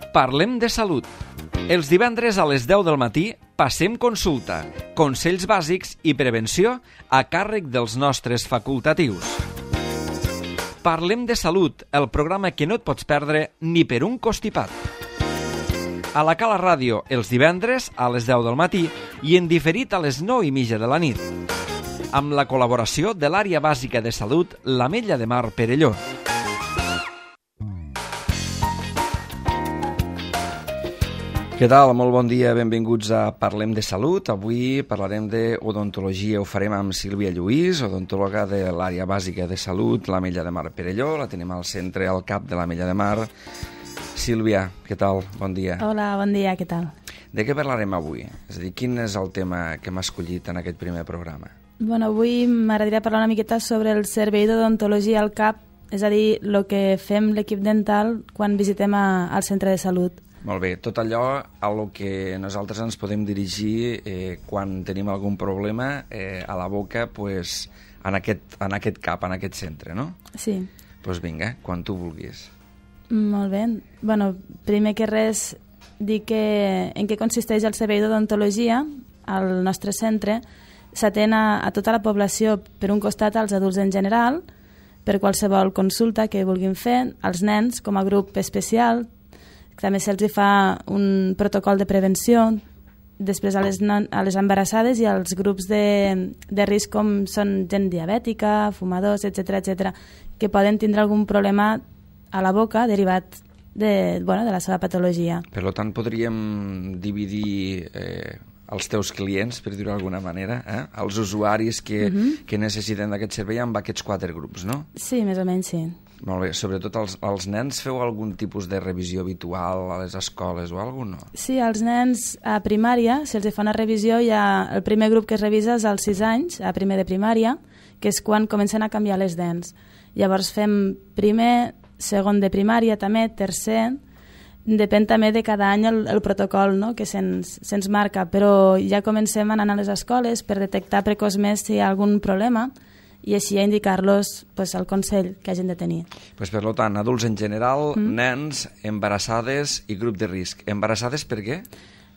Parlem de salut. Els divendres a les 10 del matí passem consulta, consells bàsics i prevenció a càrrec dels nostres facultatius. Parlem de salut, el programa que no et pots perdre ni per un costipat. A la Cala Ràdio els divendres a les 10 del matí i en diferit a les 9:30 de la nit. Amb la col·laboració de l'Àrea Bàsica de Salut l'Ametlla de Mar Perelló. Què tal? Molt bon dia, benvinguts a Parlem de Salut. Avui parlarem d'odontologia, ho farem amb Sílvia Lluís, odontòloga de l'Àrea Bàsica de Salut, l'Ametlla de Mar Perelló. La tenim al centre, al cap de l'Ametlla de Mar. Sílvia, què tal? Bon dia. Hola, bon dia, què tal? De què parlarem avui? És a dir, quin és el tema que m'ha escollit en aquest primer programa? Bueno, avui m'agradaria parlar una miqueta sobre el servei d'odontologia al CAP, és a dir, el que fem l'equip dental quan visitem al centre de salut. Molt bé, tot allò a lo que nosaltres ens podem dirigir quan tenim algun problema a la boca pues, en aquest CAP, en aquest centre, no? Sí. Doncs vinga, quan tu vulguis. Molt bé. Bueno, primer que res, dir que en què consisteix el servei d'odontologia al nostre centre. S'atén a tota la població, per un costat als adults en general, per qualsevol consulta que vulguin fer, als nens com a grup especial. També se'ls fa un protocol de prevenció, després a les embarassades i als grups de risc com són gent diabètica, fumadors, etc., que poden tindre algun problema a la boca derivat de la seva patologia. Per tant, podríem dividir els teus clients, per dir-ho d'alguna manera, els usuaris que necessiten d'aquest servei amb aquests 4 grups, no? Sí, més o menys sí. Molt bé, sobretot els nens feu algun tipus de revisió habitual a les escoles o alguna cosa, no? Sí, als nens a primària se'ls fa una revisió, el primer grup que es revisa és als 6 anys, a primer de primària, que és quan comencen a canviar les dents. Llavors fem primer, segon de primària també, tercer, depèn també de cada any el protocol, no?, que se'ns marca, però ja comencem anant a les escoles per detectar precoçment si hi ha algun problema i així a indicar-los el consell que hagin de tenir. Per tant, adults en general, nens, embarassades i grup de risc. Embarassades per què?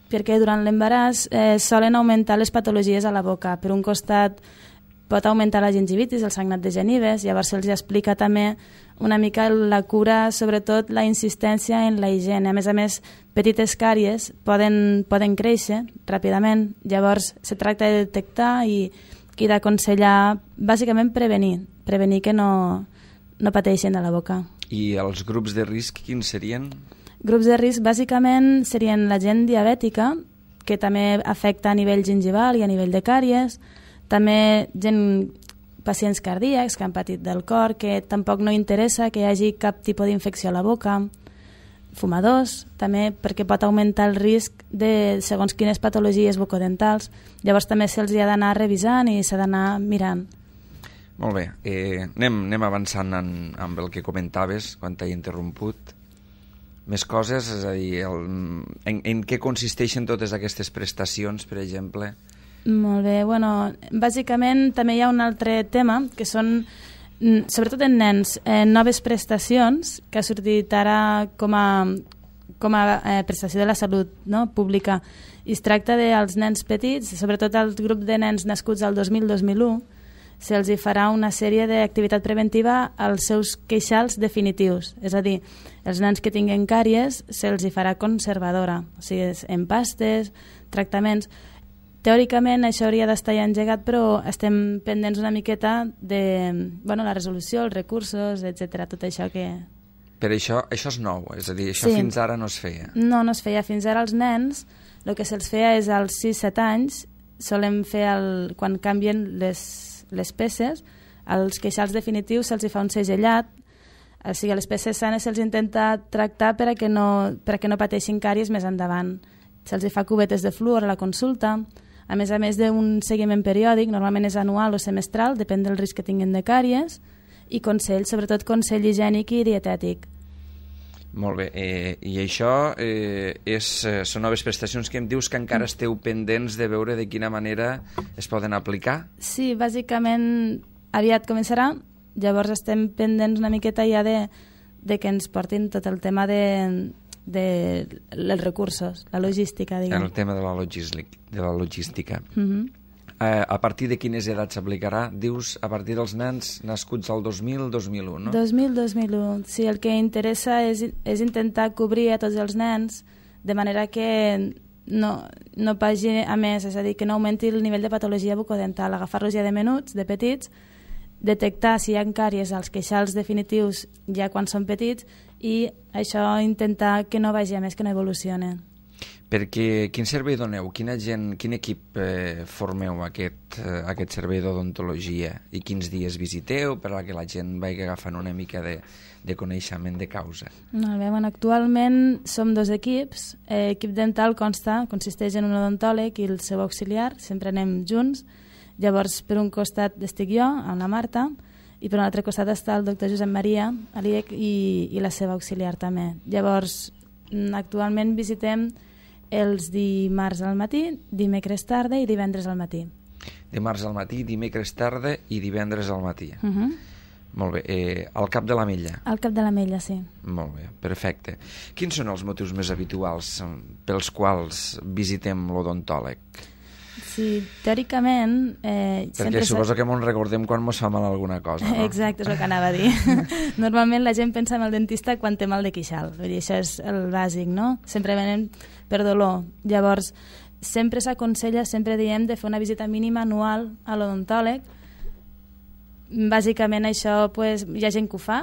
Perquè durant l'embaràs solen augmentar les patologies a la boca. Per un costat pot augmentar la gingivitis, el sagnat de genives, llavors se'ls explica també una mica la cura, sobretot la insistència en la higiene. A més, petites càries poden créixer ràpidament, llavors se tracta de detectar i d'aconsellar, bàsicament prevenir que no pateixin a la boca. I els grups de risc quins serien? Grups de risc bàsicament serien la gent diabètica, que també afecta a nivell gingival i a nivell de càries, també pacients cardíacs que han patit del cor, que tampoc no interessa que hi hagi cap tipus d'infecció a la boca, fumadors, també perquè pot augmentar el risc de segons quines patologies bucodentals. Llavors també se'ls ha d'anar revisant i s'ha d'anar mirant. Molt bé, anem avançant amb el que comentaves quan t'he interromput. Més coses, és a dir, en què consisteixen totes aquestes prestacions, per exemple? Molt bé, bàsicament també hi ha un altre tema, que són, sobretot en nens, noves prestacions que ha sortit ara com a prestació de la salut, no?, pública. I es tracta dels nens petits, sobretot el grup de nens nascuts al 2000-2001, se'ls farà una sèrie d'activitat preventiva als seus queixals definitius. És a dir, els nens que tinguen càries se'ls farà conservadora, o sigui, empastes, tractaments. Teòricament això hauria d'estar ja engegat, però estem pendents una miqueta de la resolució, els recursos, etc. Tot això que... Per això és nou, és a dir, això sí. Fins ara no es feia. No es feia. Fins ara als nens el que se'ls feia és als 6-7 anys, solem fer quan canvien les peces, als queixals definitius se'ls fa un segellat, o sigui, les peces sanes se'ls intenta tractar perquè no pateixin càries més endavant. Se'ls fa cubetes de fluor a la consulta, a més d'un seguiment periòdic, normalment és anual o semestral, depèn del risc que tinguin de càries, i consell, sobretot consell higiènic i dietètic. Molt bé, i això són noves prestacions que em dius que encara esteu pendents de veure de quina manera es poden aplicar? Sí, bàsicament aviat començarà, llavors estem pendents una miqueta ja de que ens portin tot el tema de dels recursos, la logística, diguem. El tema de la logística. A partir de quines edats s'aplicarà? Dius a partir dels nens nascuts al 2000-2001, no? 2000-2001. Sí, el que interessa és intentar cobrir a tots els nens de manera que no vagi a més, és a dir, que no augmenti el nivell de patologia bucodental, agafar-los ja de menuts, de petits, detectar si hi ha càries als queixals definitius ja quan són petits i això intentar que no vagi a més, que no evolucioni. Perquè quin servei doneu? Quin equip formeu aquest servei d'odontologia i quins dies visiteu per a que la gent vagi agafant una mica de coneixement de causa? Molt bé, bueno, actualment som 2 equips. Equip dental consisteix en un odontòleg i el seu auxiliar, sempre anem junts. Llavors, per un costat estic jo, amb la Marta, i per un altre costat està el doctor Josep Maria, l'IEC, i la seva auxiliar també. Llavors, actualment visitem els dimarts al matí, dimecres tarda i divendres al matí. Dimarts al matí, dimecres tarda i divendres al matí. Molt bé. Al Cap de l'Ametlla? Al Cap de l'Ametlla, sí. Molt bé, perfecte. Quins són els motius més habituals pels quals visitem l'odontòleg? Sí, teòricament... Perquè suposo que ens recordem quan ens fa mal alguna cosa, no? Exacte, és el que anava a dir. Normalment la gent pensa en el dentista quan té mal de queixal. Vull dir, això és el bàsic, no? Sempre venen per dolor. Llavors, sempre s'aconsella, sempre diem de fer una visita mínima anual a l'odontòleg. Bàsicament això, pues, hi ha gent que ho fa,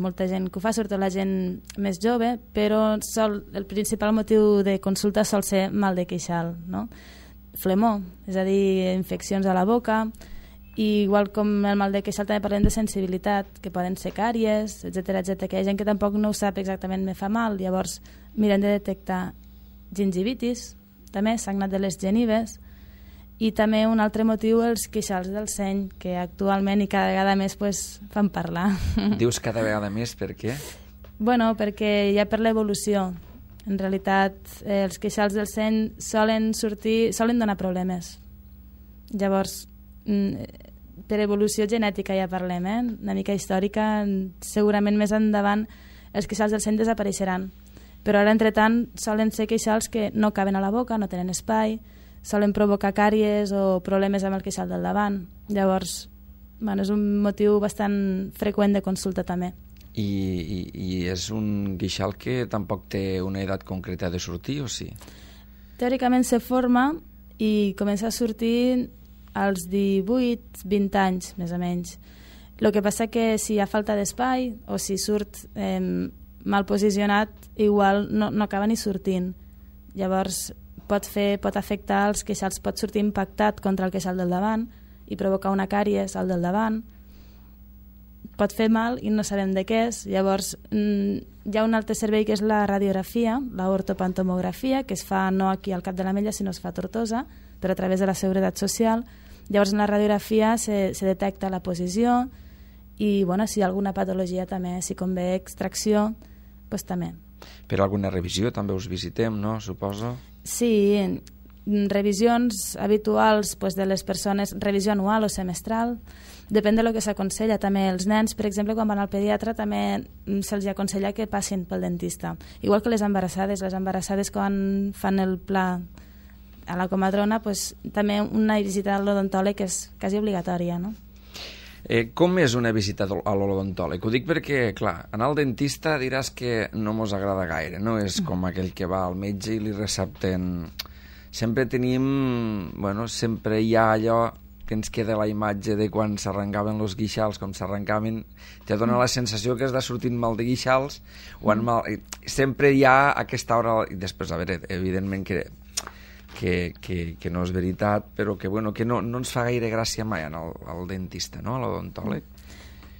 molta gent que ho fa, sobretot la gent més jove, però el principal motiu de consulta sol ser mal de queixal, no? Flemó, és a dir, infeccions a la boca, i igual com el mal de queixal també parlem de sensibilitat, que poden ser càries, etc, que hi ha gent que tampoc no ho sap exactament, me fa mal, llavors mirem de detectar gingivitis, també sagnat de les genives, i també un altre motiu, els queixals del seny, que actualment i cada vegada més fan parlar. Dius cada vegada més, per què? Bueno, perquè ja per l'evolució. En realitat, els queixals del seny solen donar problemes. Llavors, per evolució genètica ja parlem, una mica històrica, segurament més endavant els queixals del seny desapareixeran. Però ara, entretant, solen ser queixals que no caben a la boca, no tenen espai, solen provocar càries o problemes amb el queixal del davant. Llavors, és un motiu bastant freqüent de consulta també. I és un queixal que tampoc té una edat concreta de sortir, o sí? Teòricament se forma i comença a sortir als 18-20 anys, més o menys. El que passa que si hi ha falta d'espai o si surt mal posicionat, igual no acaba ni sortint. Llavors pot afectar els queixals, pot sortir impactat contra el queixal del davant i provocar una càries al del davant. Pot fer mal i no sabem de què és. Llavors, hi ha un altre servei que és la radiografia, l'ortopantomografia, que es fa no aquí al Cap de l'Ametlla, sinó es fa a Tortosa, però a través de la Seguretat Social. Llavors, en la radiografia se detecta la posició i, si hi ha alguna patologia també, si convé extracció, doncs també. Per alguna revisió també us visitem, no? Suposo? Sí, revisions habituals de les persones, revisió anual o semestral, depèn del que s'aconsella. També els nens, per exemple, quan van al pediatre també se'ls aconsella que passin pel dentista. Igual que les embarassades quan fan el pla a la comadrona, també una visita a l'odontòleg és quasi obligatòria, no? Com és una visita a l'odontòleg? Ho dic perquè, clar, anar al dentista diràs que no mos agrada gaire, no és com aquell que va al metge i li recepten... Sempre hi ha allò que ens queda la imatge de quan s'arrencaven els guixals, com s'arrencaven, te dona la sensació que has de sortir mal de guixals, sempre hi ha aquesta hora, i després, a veure, evidentment que no és veritat, però que no ens fa gaire gràcia mai al dentista, no?, a l'odontòleg.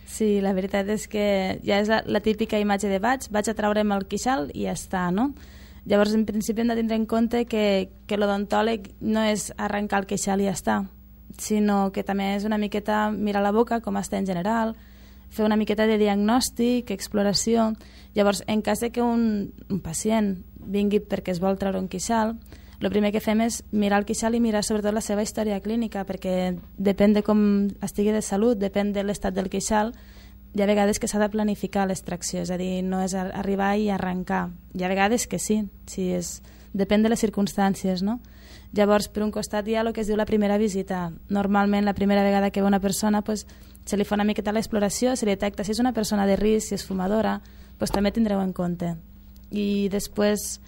Sí, la veritat és que ja és la típica imatge de vaig a traure'm el queixal i ja està, no? Llavors, en principi, hem de tindre en compte que l'odontòleg no és arrencar el queixal i ja està, sinó que també és una miqueta mirar la boca, com està en general, fer una miqueta de diagnòstic, exploració. Llavors, en cas de que un pacient vingui perquè es vol treure un queixal, el primer que fem és mirar el queixal i mirar sobretot la seva història clínica, perquè depèn de com estigui de salut, depèn de l'estat del queixal, hi ha vegades que s'ha de planificar l'extracció, és a dir, no és arribar i arrencar. Hi ha vegades que sí, depèn de les circumstàncies, no? Llavors, per un costat hi ha el que es diu la primera visita. Normalment, la primera vegada que ve una persona, pues, se li fa una miqueta l'exploració, se li detecta si és una persona de risc, si és fumadora, pues, també tindreu en compte. I després,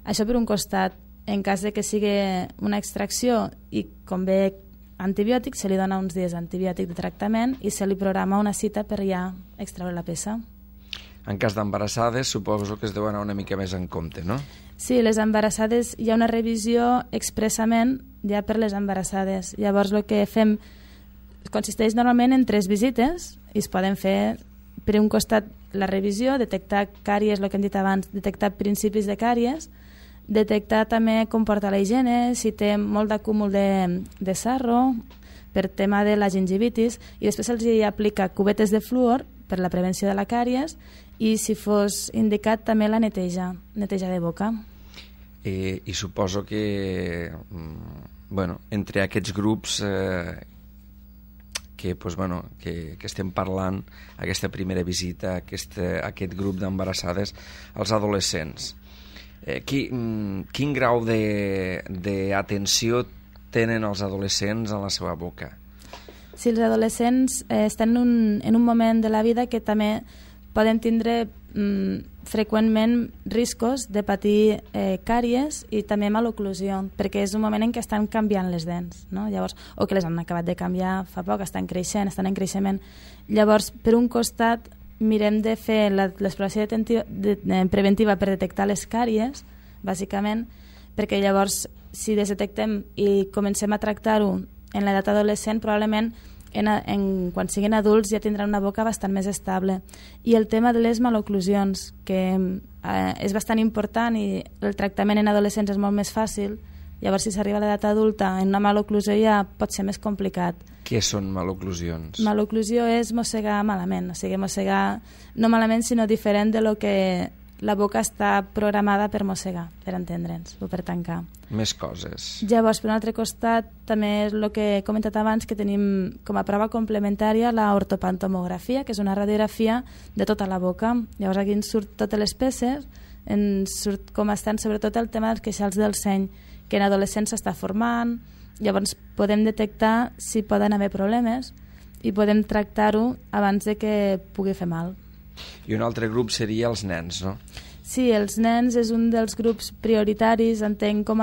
això per un costat, en cas de que sigui una extracció i convé antibiòtic, se li dona uns dies antibiòtic de tractament i se li programa una cita per ja extreure la peça. En cas d'embarassades, suposo que es deu anar una mica més en compte, no? Sí, les embarassades, hi ha una revisió expressament ja per les embarassades. Llavors el que fem consisteix normalment en 3 visites i es poden fer per un costat la revisió, detectar càries, el que hem dit abans, detectar principis de càries, detectar també com porta la higiene, si té molt d'acúmul de sarro, per tema de la gingivitis, i després se'ls aplica cubetes de fluor per la prevenció de la càries i, si fos indicat, també la neteja de boca. I suposo que entre aquests grups que estem parlant, aquesta primera visita, aquest grup d'embarassades, els adolescents, quin grau d'atenció tenen els adolescents en la seva boca? Si els adolescents estan en un moment de la vida que també poden tindre freqüentment riscos de patir càries i també maloclusió, perquè és un moment en què estan canviant les dents, no? Llavors, o que les han acabat de canviar fa poc, estan creixent, estan en creixement. Llavors, per un costat, mirem de fer l'exploració preventiva per detectar les càries, bàsicament, perquè llavors, si les detectem i comencem a tractar-ho en l'edat adolescent, probablement quan siguin adults ja tindran una boca bastant més estable. I el tema de les maloclusions, que és bastant important i el tractament en adolescents és molt més fàcil, llavors si s'arriba a l'edat adulta en una maloclusió ja pot ser més complicat. Què són maloclusions? Maloclusió és mossegar malament, o sigui, mossegar no malament sinó diferent de lo que la boca està programada per mossegar, per entendre'ns, o per tancar. Més coses. Llavors, per un altre costat, també és el que he comentat abans, que tenim com a prova complementària la ortopantomografia, que és una radiografia de tota la boca. Llavors aquí ens surt totes les peces, ens surt com estan sobretot el tema dels queixals del seny, que en adolescents s'està formant, llavors podem detectar si poden haver problemes i podem tractar-ho abans de que pugui fer mal. I un altre grup seria els nens, no? Sí, els nens és un dels grups prioritaris, entenc, com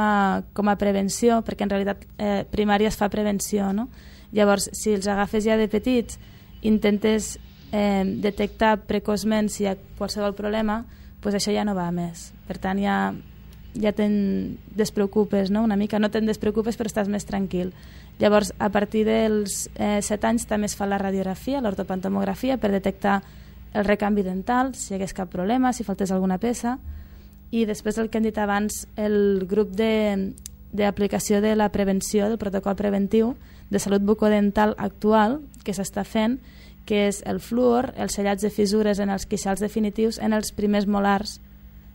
a prevenció, perquè en realitat primària es fa prevenció, no? Llavors, si els agafes ja de petits, intentes detectar precoçment si hi ha qualsevol problema, doncs això ja no va més. Per tant, ja te'n despreocupes, no? Una mica, no te'n despreocupes, però estàs més tranquil. Llavors, a partir dels 7 anys també es fa la radiografia, l'ortopantomografia, per detectar el recanvi dental, si hi hagués cap problema, si faltés alguna peça, i després el que hem dit abans, el grup d'aplicació de la prevenció, del protocol preventiu de salut bucodental actual que s'està fent, que és el fluor, els sellats de fissures en els queixals definitius en els primers molars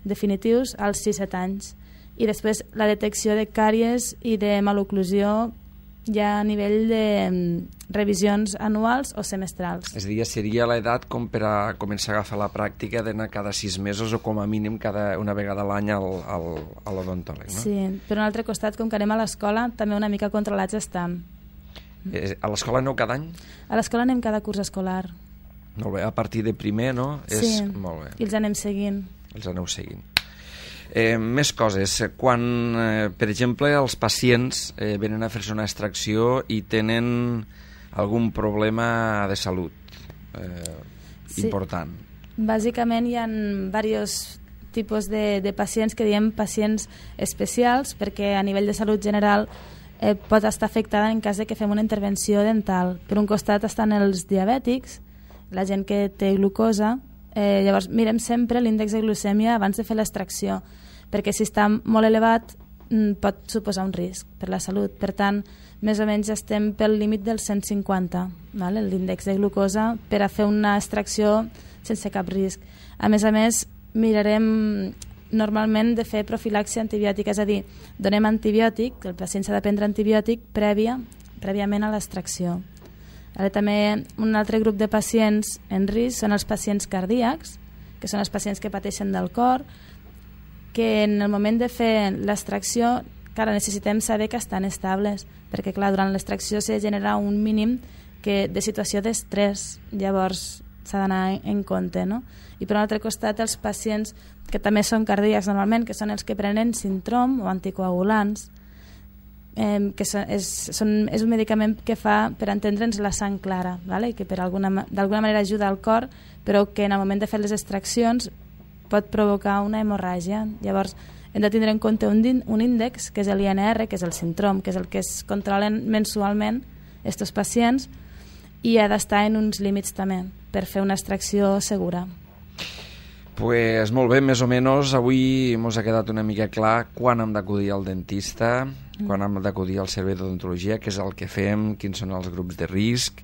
definitius als 6-7 anys, i després la detecció de càries i de maloclusió ja a nivell de revisions anuals o semestrals. És a dir, seria l'edat com per a començar a agafar la pràctica d'anar cada 6 mesos o com a mínim una vegada a l'any a l'odontòleg, no? Sí, per un altre costat, com que anem a l'escola, també una mica controlats estan. A l'escola aneu cada any? A l'escola anem cada curs escolar. Molt bé, a partir de primer, no? Sí, molt bé. I els anem seguint. Els aneu seguint. Més coses. Quan, per exemple, els pacients venen a fer-se una extracció i tenen algun problema de salut important. Bàsicament hi ha diversos tipus de pacients que diem pacients especials, perquè a nivell de salut general pot estar afectada en cas de que fem una intervenció dental. Per un costat estan els diabètics, la gent que té glucosa. Llavors mirem sempre l'índex de glucèmia abans de fer l'extracció, perquè si està molt elevat pot suposar un risc per la salut. Per tant, més o menys estem pel límit del 150, l'índex de glucosa, per a fer una extracció sense cap risc. A més, mirarem normalment de fer profilaxia antibiòtica, és a dir, donem antibiòtic, el pacient s'ha de prendre antibiòtic prèviament a l'extracció. També un altre grup de pacients en risc són els pacients cardíacs, que són els pacients que pateixen del cor, que en el moment de fer l'extracció, clar, necessitem saber que estan estables, perquè clar, durant l'extracció s'ha de generar un mínim de situació d'estrès, llavors s'ha d'anar en compte, no? I per un altre costat els pacients que també són cardíacs normalment, que són els que prenen Sintrom o anticoagulants, que és un medicament que fa per entendre'ns la sang clara, ¿vale? Que d'alguna manera ajuda al cor, però que en el moment de fer les extraccions pot provocar una hemorràgia. Llavors hem de tindre en compte un índex, que és l'INR, que és el Sintrom, que és el que es controlen mensualment aquests pacients, i ha d'estar en uns límits també per fer una extracció segura. Pues molt bé, més o menys avui ens ha quedat una mica clar quan hem d'acudir al dentista, quan hem d'acudir al servei d'odontologia, què és el que fem, quins són els grups de risc.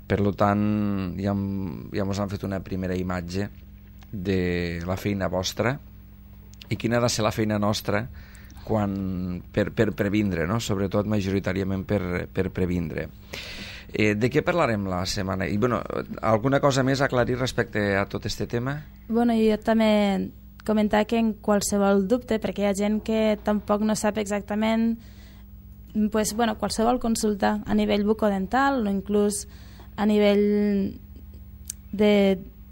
Per tant, ja ens han fet una primera imatge de la feina vostra i quina ha de ser la feina nostra per previndre, no? Sobretot majoritàriament per previndre. De què parlarem la setmana? I, alguna cosa més a aclarir respecte a tot aquest tema? Jo també comentar que en qualsevol dubte, perquè hi ha gent que tampoc no sap exactament, qualsevol consulta a nivell bucodental o inclús a nivell de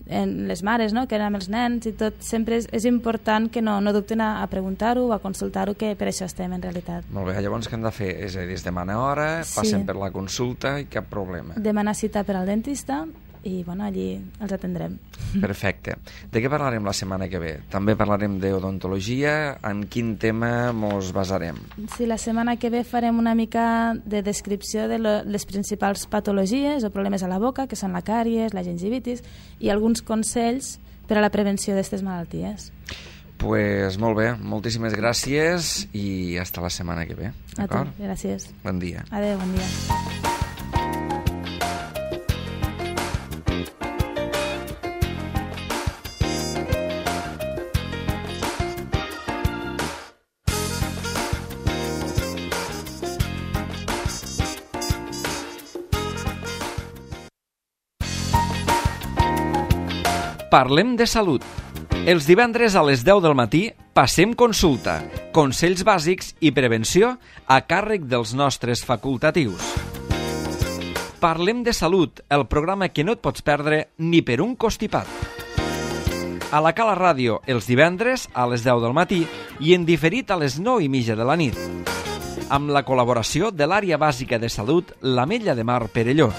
les mares, no? Que eren amb els nens i tot, sempre és important que no dubten a preguntar-ho o a consultar-ho, que per això estem en realitat. Molt bé, llavors què hem de fer? És a dir, es demana hora, passen per la consulta i cap problema. Demanar cita per al dentista i allí els atendrem. Perfecte. De què parlarem la setmana que ve? També parlarem d'odontologia. En quin tema ens basarem? Sí, la setmana que ve farem una mica de descripció de les principals patologies o problemes a la boca, que són la càries, la gingivitis, i alguns consells per a la prevenció d'aquestes malalties. Pues molt bé, moltíssimes gràcies i hasta la setmana que ve. A tu, gràcies. Bon dia. Adéu, bon dia. Parlem de salut. Els divendres a les 10 del matí passem consulta, consells bàsics i prevenció a càrrec dels nostres facultatius. Parlem de salut, el programa que no et pots perdre ni per un costipat. A la Cala Ràdio els divendres a les 10 del matí i en diferit a les 9:30 de la nit. Amb la col·laboració de l'Àrea Bàsica de Salut l'Ametlla de Mar Perelló.